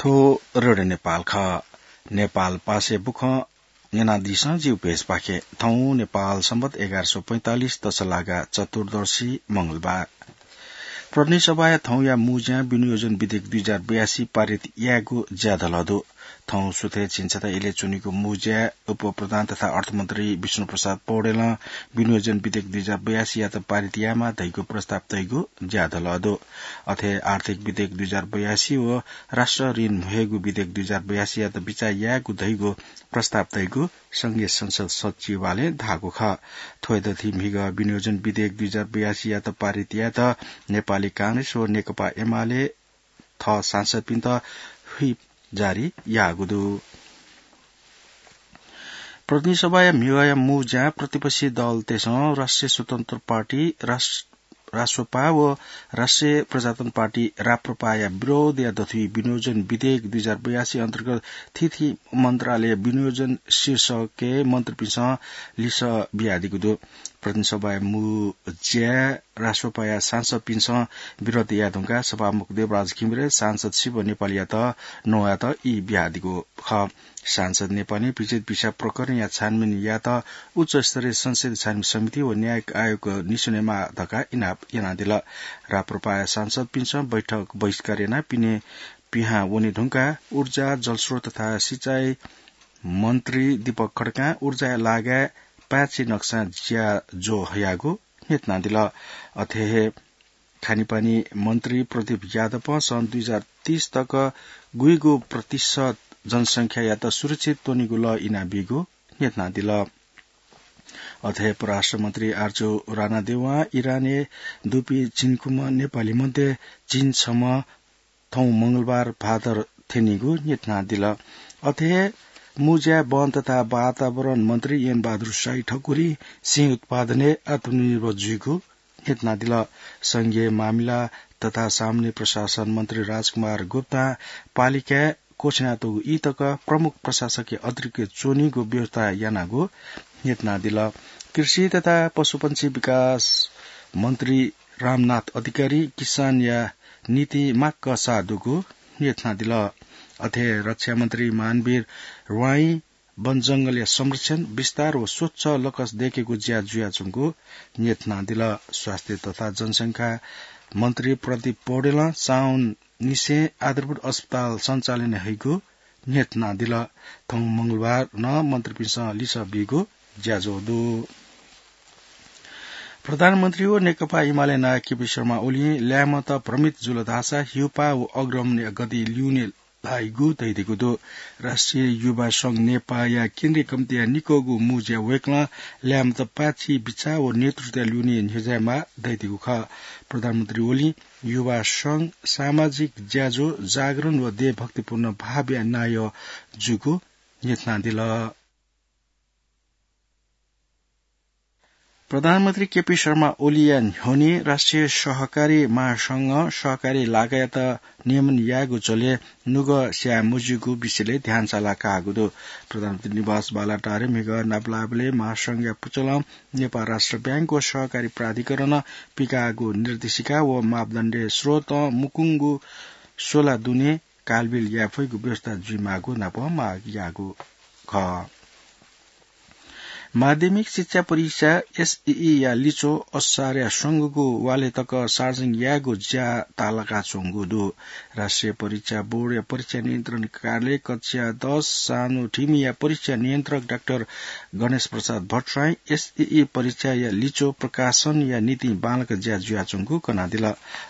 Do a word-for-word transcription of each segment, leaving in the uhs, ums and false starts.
थ्व रेडियो नेपाल खः। नेपाल पासय् बुखँ न्यनादिसँ जिगु पेजपाखें। थौं नेपाल सम्बत एघार सय पैंतालिस तसलागा चतुर्दशी मंगलबार। प्रतिनिधि सभाया थौंया मू ज्यां विनियोजन विधेयक दुई हजार बयासी पारित यायेगु ज्या धल दु। थौं सुथय् झिंछता इलय् च्वनीगु मू ज्याय् उपप्रधान तथा अर्थमन्त्री विष्णुप्रसाद पौडेलं विनियोजन विधेयक दुई हजार बयासीयात पारित यायेमाः धइगु प्रस्ताव तइगु ज्या धल दु। अथे आर्थिक विधेयक दुई हजार बयासी व राष्ट्र ऋण म्हेगु विधेयक दुई हजार बयासीयात बिचाः यायेगु धइगु प्रस्ताव तइगु संघीय संसद सचिवालयं धाःगु खः। थ्व हे दथुइ म्हिगः विनियोजन विधेयक दुई हजार बयासीयात पारित यायेत नेपाली कांग्रेस व नेकपा एमाले थः सांसदपिन्त व्हिप जारी याःगु दु। प्रतिनिधि सभाया म्हिगःया मू ज्यां प्रतिपक्षी दलतय्सं राष्ट्रिय स्वतन्त्र पार्टी, रास-, रासोपा व राष्ट्रिय प्रजातन्त्र पार्टी, राप्रपाया विरोधया दथुइ विनियोजन विधेयक दुई हजार बयासी अन्तर्गत थीथी मन्त्रालय विनियोजन शीर्षकय् मन्त्रीपिन्सं लिसः बियादीगु दु। प्रतिनिधि सभाया मू ज्याय् रासोपाया सांसदपिन्सं विरोध याये धुंकाः सभामुख देवराज घिमिरे सांसद शिव नेपालीयात नवायेत ई बियादीगु खः। सांसद नेपालीं विचित भिसा प्रकरणया छानबिन यायेत उच्च स्तरीय संसदीय छानबिन समिति व न्यायिक आयोग निस्वनेमाः धकाः इनाप यानादिल। राप्रपाया सांसदपिन्सं बैठक बहिष्कार यानाः पिने पिहां वने धुंकाः ऊर्जा, जलस्रोत तथा सिँचाइ मन्त्री दीपक खड्कां ऊर्जाया लागाय् पाय्छि नक्सां ज्याझ्वः हयागु न्ह्यथनादिल। अथे हे खानेपानी मन्त्री प्रदीप यादवं सन् दुई हजार तीस तक गुइगु प्रतिशत जनसंख्यायात सुरक्षित त्वनेगु लः इनाबीगु न्ह्यथनादिल। अथे हे परराष्ट्र मन्त्री आर्जु रानादेवं इरानय् दुपिं झिंखुम्ह नेपाली मध्ये झिंछम्ह थौं मंगलबार भादर थ्यनीगु न्ह्यथनादिल। अथे हे मू ज्याय् वन तथा वातावरण मन्त्री एन बहादुर शाही ठकुरी सिंह उत्पादनय् आत्मनिर्भर जुइगु न्ह्यथनादिल। संघीय मामिला तथा सामान्य प्रशासन मन्त्री राजकुमार गुप्तां पालिकाय् क्वछिनातःगु ई तक प्रमुख प्रशासकया अतिरिक्त च्वनीगु व्यवस्था यानागु न्ह्यथनादिल। कृषि तथा पशुपंक्षी विकास मन्त्री रामनाथ अधिकारी किसानया निंतिं माक्क साः दुगु न्ह्यथनादिल। अथे रक्षा मन्त्री मानवीर वाइं वनजंगलया संरक्षण, विस्तार व स्वच्छ लकस दय्केगु ज्या जुयाच्वंगु न्ह्यथनादिल। स्वास्थ्य तथा जनसंख्या मन्त्री प्रदीप पौडेलं साउन निसें आधारभूत अस्पताल सञ्चालन हइगु न्ह्यथनादिल। थौं मंगलबार नं मन्त्रीपिन्सं लिसः बीगु ज्याझ्वः दु। प्रधानमन्त्री व नेकपा एमाले नायः केपी शर्मा ओलीं ल्याय्म्हत भ्रमित जुल धाःसा हिउपाः व अग्रमणया गति ल्यूने लाइगु धयादीगु दु। राष्ट्रिय युवा संघ नेपाःया केन्द्रीय कमिटीया निकःगु मू ज्याय् वय्कलं ल्याय्म्हत पाय्छि बिचाः व नेतृत्वया ल्यूने न्ह्यज्यायेमाः धयादीगु खः। प्रधानमन्त्री ओलीं युवा संघ सामाजिक ज्याझ्वः, जागरण व देशभक्तिपूर्ण भावया नायः जूगु न्ह्यथनादिल। प्रधानमन्त्री केपी शर्मा ओलीया न्ह्यःने राष्ट्रिय सहकारी महासंघं सहकारी लागायात नियमन यायेगु झ्वलय् नुगः स्याये मज्यूगु विषयलय् ध्यान साला काःगु दु। प्रधानमन्त्री निवास बालाटारय् म्हिगः नापलाःबलय् महासंघया पुचलं नेपाल राष्ट्र ब्यांक व सहकारी प्राधिकरणं पिकाःगु निर्देशिका व मापदण्डय् स्रोतं मुकुंगु स्वला दुने कालबिल याये फइगु व्यवस्था जुइमाःगु नाप माग याःगु खः। माध्यमिक शिक्षा परीक्षा, एसईई, या लिच्वः असारया स्वंगूगु वालय् तक सार्वजनिक यायेगु ज्या ताःलाकाच्वंगु दु। राष्ट्रिय परीक्षा बोर्डया परीक्षा नियन्त्रण कार्यालय कक्षा दस सानोठिमीया परीक्षा नियन्त्रक डाक्टर गणेश प्रसाद भट्टराईं एसईई परीक्षाया लिच्वः प्रकाशनया निंतिं बांलाक ज्या जुयाच्वंगु कनादिल।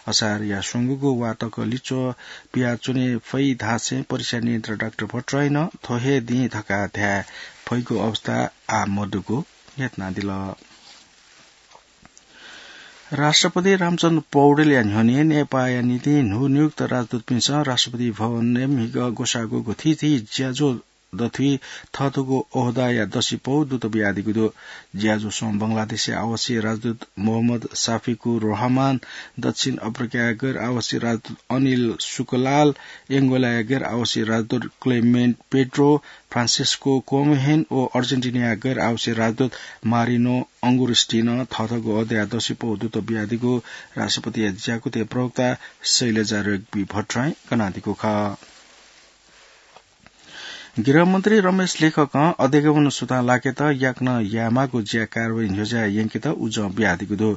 असारया स्वंगूगु वा तक लिच्वः पियाच्वने फइ धासें परीक्षा नियन्त्रक डाक्टर भट्टराईं नं थ्व हे दिं धकाः धाये फइगु अवस्था आः मदुगु न्ह्यथनादिल। राष्ट्रपति रामचन्द्र पौडेलया न्ह्यःने नेपाःया निंतिं न्हूनियुक्त राजदूतपिन्सं राष्ट्रपति भवनय् म्हिगः ग्वसाःगु थीथी ज्याझ्वः दथुइ थःथःगु ओहदाया दसिपौ दुत बियादीगु दु। ज्याझ्वलय् बंगलादेशया आवासीय राजदूत मोहम्मद साफिकुर रहमान, दक्षिण अफ्रिकाया गैर आवासीय राजदूत अनिल सुकलाल, एंगोलाया गैर आवासीय राजदूत क्लेमेन्ट पेड्रो, फ्रान्सिस्को कोमोहेन व अर्जेन्टिनाया गैर आवासीय राजदूत मारिनो अंगुरिस्टिनं थःथःगु ओहदाया दसिपौ दुत बियादीगु राष्ट्रपतिया ज्याकुथिया प्रवक्ता शैलजा रेग्मी भट्टराईं कनादीगु खः। गृहमन्त्री रमेश लेखकं अध्यागमन सुथां लाकेत याकनं यायेमाःगु ज्या कारवाही न्ह्यज्याः यंकेत उजं बियादीगु दु।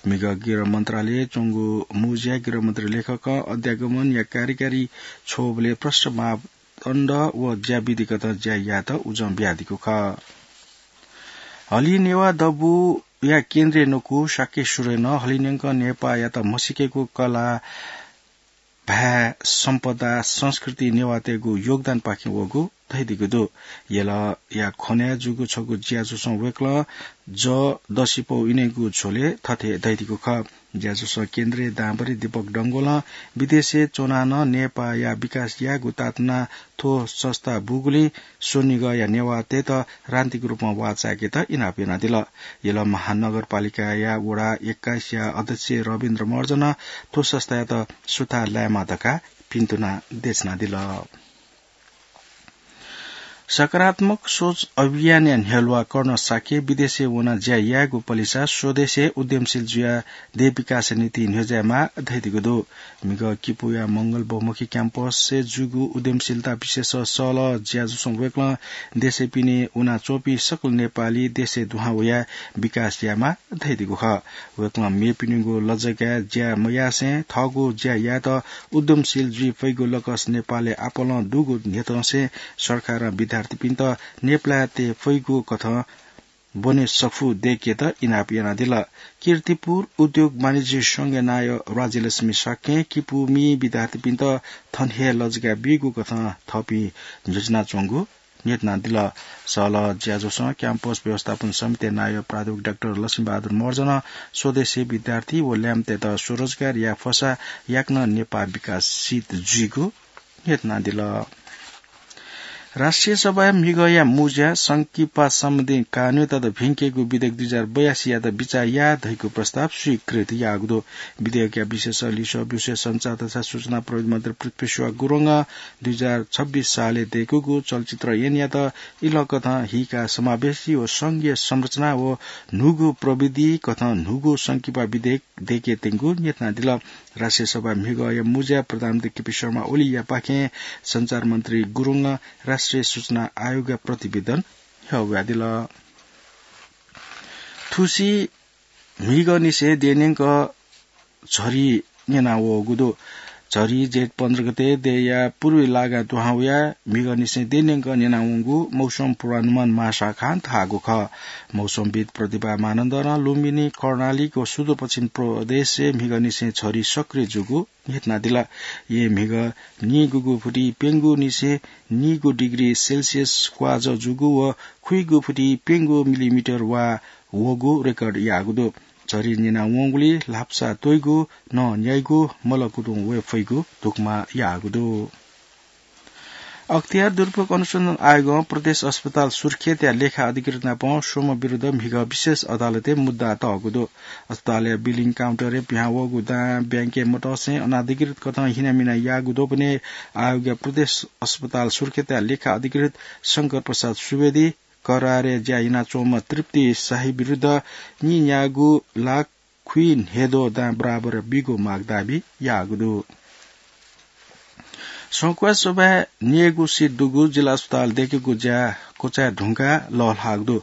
म्हिगः गृह मन्त्रालयय् च्वंगु मुँज्याय् गृहमन्त्री लेखकं अध्यागमनया कार्यकारी छ्वःबलय् प्रष्ट मापदण्ड व ज्याविधिकथं ज्या यायेत उजं बियादीगु खः। हलिं नेवाः दबूया केन्द्रीय नकु शाक्य सुरेनं हलिंन्यंक नेपाःयात म्हसीकेगु कला, भाय्, सम्पदा, संस्कृति नेवाःतय्गु योगदानपाखें वःगु धयादीगु दु। यलया ख्वनय् जूगु छगू ज्याझ्वलं वय्कलं जःदसिपौ इनेगु झ्वलय् थथे धयादीगु खः। ज्याझ्वलं केन्द्रीय दांभरि दीपक डंगोलं विदेशय् च्वनाः नं नेपाःया विकास यायेगु ताःतुनाः थ्व संस्था बूगुलिं स्वनिगःया नेवाःतय्त राजनीतिक रूपं वाःचाय्केत इनाप यानादिल। यल महानगरपालिकाया वडा एक्काइसया अध्यक्ष रविन्द्र महर्जनं थ्व संस्थायात सुथां लायेमाः धकाः भिन्तुना देछानादिल। सकारात्मक सोच अभियानया न्ह्यलुवा कर्ण शाक्यं विदेशय् वनाः ज्या यायेगु पलिसा स्वदेशय् उद्यमशील जुयाः देश विकासया निंतिं न्ह्यज्यायेमाः धयादीगु दु। म्हिगः किपूया मंगल बहुमुखी क्याम्पसय् जूगु उद्यमशीलता विशेष सहलह ज्याझ्वलं वय्कलं देशय् पिने वनाच्वंपिं सकल नेपाली देशय् दुहां वयाः विकास यायेमाः धयादीगु खः। वय्कलं मेपिनिगु लजगाय् ज्या मयासें थःगु ज्या यायेत उद्यमशील जुइ फइगु लकस नेपालय् आपालं दुगु न्ह्यथंसें सरकारं विद्यार्थीपिन्त नेपालय् तये फइगु कथं ब्वने सफू दय्केत इनाप यानादिल। कीर्तिपुर उद्योग वाणिज्य संघया नायः राज्यलक्ष्मी शाक्यं किपूमि विद्यार्थीपिन्त थन हे लजगाय् बीगु कथं थःपिं न्ह्यज्यानाच्वंगु न्ह्यथनादिल। सहलह ज्याझ्वलं क्याम्पस व्यवस्थापन समितिया नायः प्राध्यापक डाक्टर लक्ष्मीबहादुर महर्जनं स्वदेशी विद्यार्थी व ल्याय्म्हतय्त स्वरोजगार याये फसा याकनं नेपाः विकासित जुइगु न्ह्यथनादिल। राष्ट्रिय सभाय् म्हिगःया मुँज्याय् संकिपा सम्बन्धी कानून तथा भिंकेगु विधेयक दुई हजार बयासीयात बिचाः याये धइगु प्रस्ताव स्वीकृत याःगु दु। विधेयकया विषयस लिसः ब्यूसें सञ्चार तथा सूचना प्रविधि मन्त्री पृथ्वी सुवाः गुरुङं दुई हजार छब्बीस सालय् दय्कूगु चलचित्र ऐनयात इलंकथं हिक्का समावेशी व संघीय संरचना व न्हूगु प्रविधि कथं न्हूगु संकिपा विधेयक दय्के त्यंगु न्ह्यथनादिल। राष्ट्रिय सभा म्हिगःया मुँज्याय् प्रधानमन्त्री केपी शर्मा ओलीयापाखें सञ्चार मन्त्री गुरुङं राष्ट्रिय सूचना आयोगया प्रतिवेदन ह्यःवयादिल। थुसी म्हिगःनिसें देय्न्यंक झरी न्यनावःगु दु। झरी जेठ पन्ध्र गते देय्या पूर्वी लागां दुहां वयाः म्हिगःनिसें देय्न्यंक न्यनावंगु मौसम पूर्वानुमान महाशाखां धाःगु खः। मौसमविद् प्रतिभा मानन्धरं लुम्बिनी, कर्णाली व सुदूरपश्चिम प्रदेशय् म्हिगःनिसें झरी सक्रिय जूगु न्ह्यथनादिल। येँ म्हिगः नीगूगु फुति प्यंगूनिसें नीगू डिग्री सेल्सियस क्वाःजः जूगु व खुइगू फुति प्यंगू मिलिमिटर वा वःगु रेकर्ड याःगु दु। झरी न्यनावंगुलिं ल्हापसा त्वइगु, नं न्याइगु, मलकुतुं वये फइगु धुकुमा याःगु दु। अख्तियार दुरुपयोग अनुसन्धान आयोगं प्रदेश अस्पताल सुर्खेतया लेखा अधिकृत नाप स्वम्ह विरुद्ध म्हिगः विशेष अदालतय् मुद्दा तःगु दु। अस्पतालया बिलिङ काउन्टरय् पिहां वःगु दां ब्याङ्के मतसें अनाधिकृत कथं हिनामिना याःगु द्वपनय् आयोगया प्रदेश अस्पताल सुर्खेतया लेखा अधिकृत शंकर प्रसाद सुवेदी, करारय् ज्या यानाच्वंम्ह तृप्ति शाही विरुद्ध नीन्यागू लाख खुइन्हय्द्वः दां बराबर बीगु माग दाबी याःगु दु। संखुवासभाय् न्यय्गू सिट दुगु जिल्ला अस्पताल दय्केगु ज्या क्वचाये धुंकाः लःल्हाःगु दु।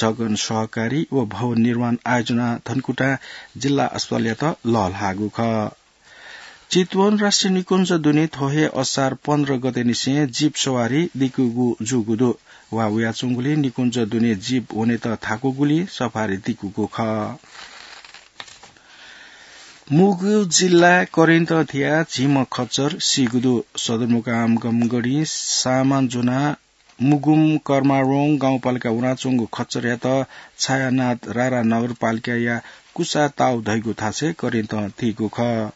सघन सहकारी व भवन निर्माण आयोजना धनकुटां जिल्ला अस्पतालयात लःल्हाःगु खः। चितवन राष्ट्रिय निकुञ्ज दुने थ्व हे असार पन्ध्र गतेनिसें जीप सवारी दिकूगु जूगु दु। वा वयाच्वंगुलिं निकुञ्ज दुने जीप वनेत थाकूगुलिं सफारी दिकूगु खः। मुगु जिल्ला करेन्त थिया झिम्ह खच्चर सीगु दु। सदरमुकाम गमगढी सामान ज्वनाः मुगुम कर्मारोङ गाउँपालिका वनाच्वंगु खच्चरयात छायानाथ रारा नगरपालिकाया कुसा ताउ धइगु थासय् करेन्तं थीगु खः।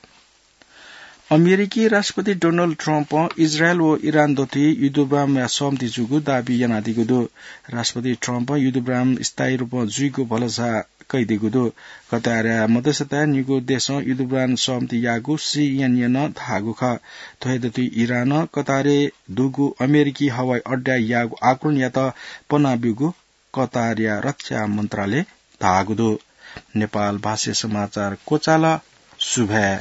अमेरिकी राष्ट्रपति डोनाल्ड ट्रम्पं इजरायल व इरान दथुइ युद्धविरामया सहमति जूगु दाबी यानादीगु दु। राष्ट्रपति ट्रम्पं युद्धविराम स्थायी रूपं जुइगु भलसा कयादीगु दु। कतारया मध्यस्थताय् निगू देशं युद्धविराम सहमति याःगु सीएनएनं धाःगु खः। थ्व हे दथुइ इरानं कतारय् दुगु अमेरिकी हवाई अड्डाय् याःगु आक्रमणयात पना ब्यूगु कतारया रक्षा मन्त्रालयं धाःगु दु। नेपाल भाषाय् समाचार क्वचाल। सुभाय्।